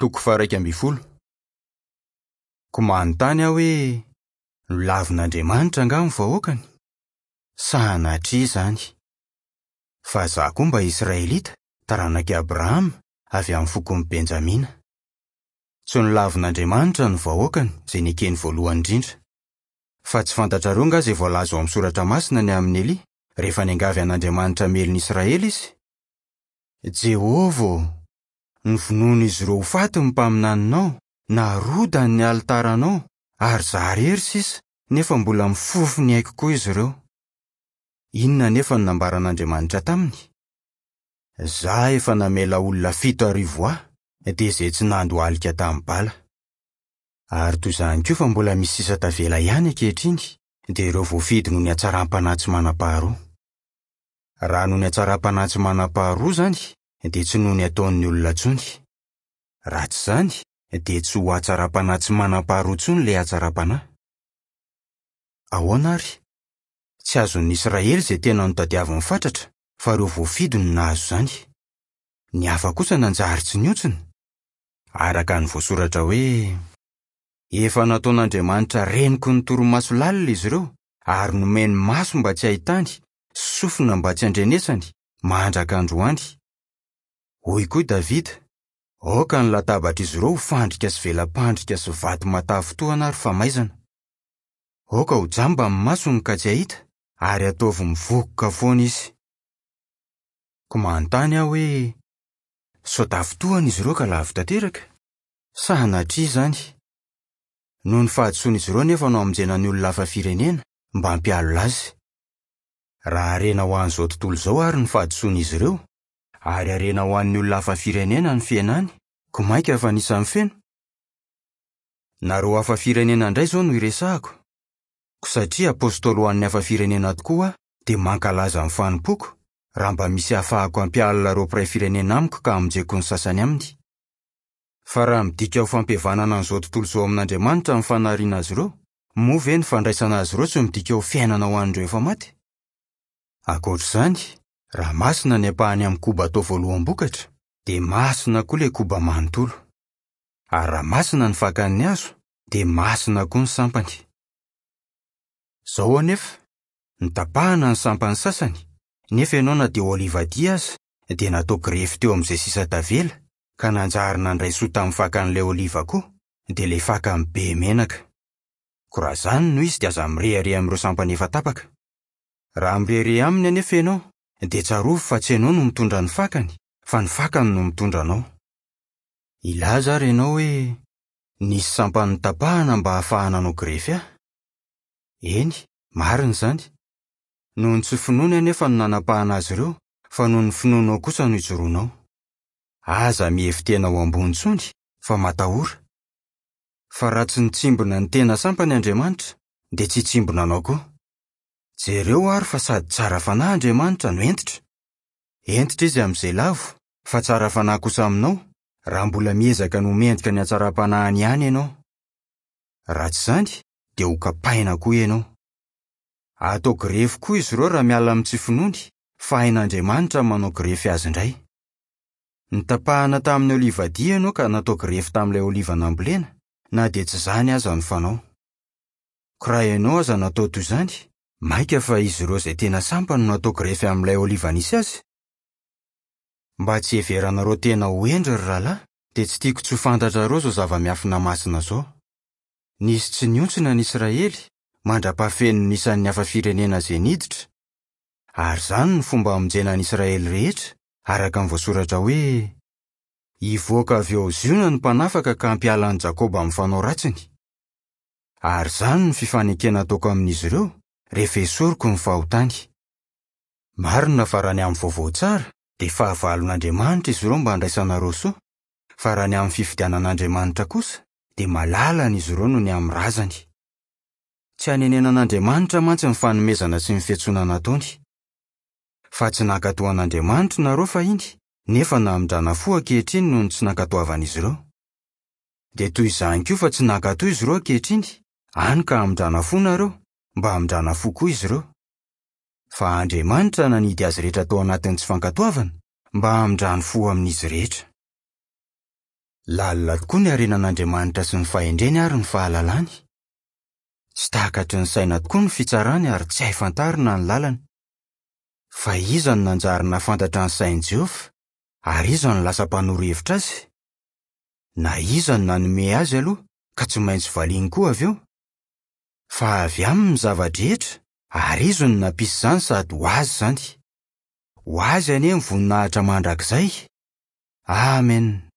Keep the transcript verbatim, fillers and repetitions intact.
Toko faha-iraika ambin'ny folo. Koa manontany aho hoe, nolavin'Andriamanitra angaha ny vahoakany? Sanatria izany! Fa izaho koa mba Israelita, taranak'i Abrahama, avy amin'ny fokon'i Benjamina. Tsy nolavin'Andriamanitra ny vahoakany, izay nekeny voalohany indrindra. Fa tsy fantatrareo angaha izay voalaza ao amin'ny Soratra Masina ny amin'i Elia, rehefa niangavy an'Andriamanitra hamely ny Israely izy? Jehovah ô, novonoin'izy ireo ho faty ny mpaminaninao, narodany ny alitaranao, ary izaho irery sisa, nefa mbola mifofo ny aiko koa izy ireo. Inona anefa no nambaran'Andriamanitra taminy? Izaho efa namela olona fito arivo ahy, dia izay tsy nandohalika tamin'ny bala. Ary toy izany koa fa mbola misy sisa tavela ihany ankehitriny, dia ireo voafidy noho ny hatsaram-panahy tsy manam-paharoa. Raha noho ny hatsaram-panahy tsy manam-paharoa izany, dia tsy noho ny ataon'ny olona intsony. Raha tsy izany, dia tsy ho hatsaram-panahy tsy manam-paharoa intsony ilay hatsaram-panahy. Ahoana ary? Tsy azon'ny Israely izay tena notadiaviny fatratra, fa ireo voafidy no nahazo izany. Ny hafa kosa nanjary tsy nihontsina. Araka ny voasoratra hoe: Efa nataon'Andriamanitra renoky ny torimaso lalina izy ireo, ary nomeny maso mba tsy hahitany, sy sofina mba tsy handrenesany, mandraka androany. Hoy koa i Davida: Aoka ny latabatr'izy ireo ho fandrika sy vela-pandrika sy vato matavy-tohana ary famaizana. Aoka ho jamba ny masony ka tsy hahita, ary ataovy mivokoka foana izy. Koa manontany aho hoe, sao tafintohana izy ireo ka lavo tanteraka? Sanatria izany! Noho ny fahadisoan'izy ireo anefa no hamonjena ny olona hafa firenena mba hampialona azy. Raha harena ho an'izao tontolo izao àry ny fahadisoan'izy ireo, ary harena ho an'ny olona hafa firenena ny fihenany, koa mainka fa anisan'ny feno? Nareo hafa firenena indray izao no iresahako. Koa satria apostoly ho an'ny hafa firenena tokoa aho, dia mankalaza ny fanompoako, raha mba misy ahafahako hampialona ireo mpiray firenena amiko ka hamonjeko ny sasany aminy. Fa raha midika ho fampihavanana an'izao tontolo izao amin'Andriamanitra ny fanariana azy ireo, moa ve ny fandraisana azy ireo tsy midika ho fiainana ho an'ireo efa maty? Ankoatra izany, raha masina ny ampahany amin'ny koba atao voaloham-bokatra, dia masina koa ilay koba manontolo. Ary raha masina ny fakan'ny hazo, dia masina koa ny sampany. Izao anefa, notapahana ny sampany sasany, nefa ianao na dia olivadia aza, dia natao grefy teo amin'izay sisa tavela, ka nanjary nandray soa tamin'ny fakan'ilay oliva koa, dia ilay fakany be menaka. Koa raha izany no izy dia aza mirehareha amin'ireo sampany efa tapaka. Raha mirehareha aminy anefa ianao, dia tsarovy fa tsy ianao no mitondra ny fakany, fa ny fakany no mitondra anao. Hilaza ary ianao hoe, nisy sampany notapahana mba hahafahana hanao grefy ahy. Eny, marina izany. Noho ny tsy finoany anefa no nanapahana azy ireo, fa noho ny finoanao kosa no ijoroanao. Aza mihevi-tena ho ambony intsony, fa matahora. Fa raha tsy nitsimbina ny tena sampany Andriamanitra, dia tsy hitsimbina anao koa. Jereo ary fa sady tsara fanahy Andriamanitra no hentitra. Hentitra izy amin'izay lavo, fa tsara fanahy kosa aminao, raha mbola miezaka ny ho mendrika ny hatsaram-panahiny ihany ianao. Raha tsy izany, dia ho kapaina koa ianao. Atao grefy koa izy ireo raha miala amin'ny tsy finoany, fa hain'Andriamanitra ny manao grefy azy indray. Notapahana tamin'ny olivadia ianao ka natao grefy tamin'ilay oliva nambolena, na dia tsy izany aza no fanao. Koa raha ianao aza natao toy izany, mainka fa izy ireo izay tena sampany no natao grefy amin'ilay oliva nisy azy? Mba tsy hiheveranareo tena ho hendry ry rahalahy, dia tsy tiako tsy ho fantatrareo izao zava-miafina masina izao. Nisy tsy nihontsina ny Israely, mandra-pahafeno ny isan'ny hafa firenena izay niditra. Ary izany no fomba hamonjena ny Israely rehetra, araka ny voasoratra hoe: Hivoaka avy ao Ziona ny mpanafaka ka hampiala an'i Jakoba amin'ny fanao ratsiny. Ary izany no fifanekena ataoko amin'izy ireo, rehefa esoriko ny fahotany. Marina fa raha ny amin'ny vaovao tsara, dia fahavalon'Andriamanitra izy ireo mba handraisanareo soa, fa raha ny amin'ny fifidianan'Andriamanitra kosa, dia malalany izy ireo noho ny amin'ny razany. Tsy hanenenan'Andriamanitra mantsy ny fanomezana sy ny fiantsoana nataony. Fa tsy nankatò an'Andriamanitra nareo fahiny, nefa namindrana fo ankehitriny noho ny tsy nankatoavan'izy ireo. Dia toy izany koa fa tsy nankatò izy ireo ankehitriny, hany ka hamindrana fo nareo, mba hamindrana fo koa izy ireo. Fa Andriamanitra nanidy azy rehetra tao anatin'ny tsy fankatoavana, mba hamindrany fo amin'izy rehetra. Lalina tokoa ny harenan'Andriamanitra sy ny fahendreny ary ny fahalalany. Tsy takatry ny saina tokoa ny fitsarany ary tsy hay fantarina ny lalany. Fa iza no nanjary nahafantatra ny sain'i Jehovah, ary iza no lasa mpanoro hevitra azy? Na iza no nanome azy aloha, ka tsy maintsy valiany koa avy eo? Fa avy aminy ny zava-drehetra, ary izy no nampisy izany sady ho azy izany. Ho azy anie ny voninahitra mandrakizay. Amen.